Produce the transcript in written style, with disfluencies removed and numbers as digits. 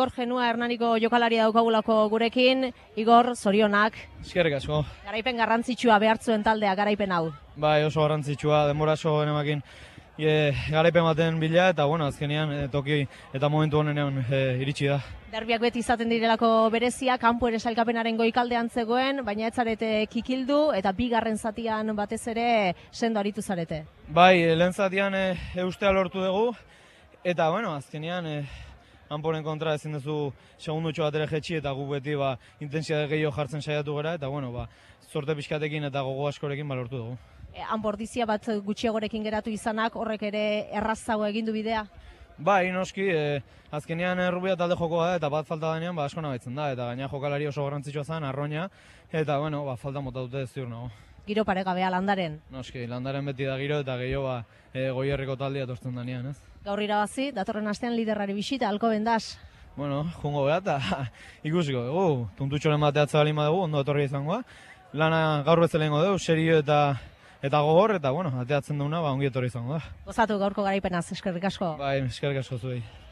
Igor Genua Hernaniko jokalaria daukagulako gurekin. Igor, zorionak. Eskerrik asko. Garaipen garrantzitsua behartzuen taldea, garaipen hau. Bai, oso garrantzitsua, denbora oso genemakin garaipen baten bila, eta bueno, azkenean toki eta momentu honenean iritsi da. Derbiak beti izaten direlako berezia, kanpo ere sailkapenaren goikaldean zegoen, baina ez zarete kikildu, eta bigarren zatian batez ere sendo aritu zarete. Bai, lehen zatian eustea lortu dugu, eta bueno, azkenean Anporen kontra ezin duzu segundutxo bat ere jetxi, eta gu beti intensitate gehiago jartzen saiatu gara, eta bueno, zorte pixkatekin eta gogo askorekin lortu dugu. Anbordizia bat gutxiagorekin geratu izanak, horrek ere errazago egin du bidea? Bai, noski, azkenean Rubia talde jokoa da, eta bat falta denean asko nabaitzen da, eta gaina jokalari oso garrantzitsua zen, Arroña, eta bueno, falta mota dute ez ziur nago. Giro paregabea Landaren? Noski, Landaren beti da giro, eta gehiago Goierriko taldea etortzen denean, ez? Gaur irabazi, datorren astean liderrari bisita, Alcobendas. Bueno, jungo beha, eta ikusiko dugu, puntutxoren bateatza balin badugu, ondo etorri izangoa. Lana gaur bezalengo dugu, serio eta gogor, eta bueno, ateatzen duguna, ongi etorri izango da. Gozatu gaurko garaipenaz, eskerrik asko. Bai, eskerrik asko zuei.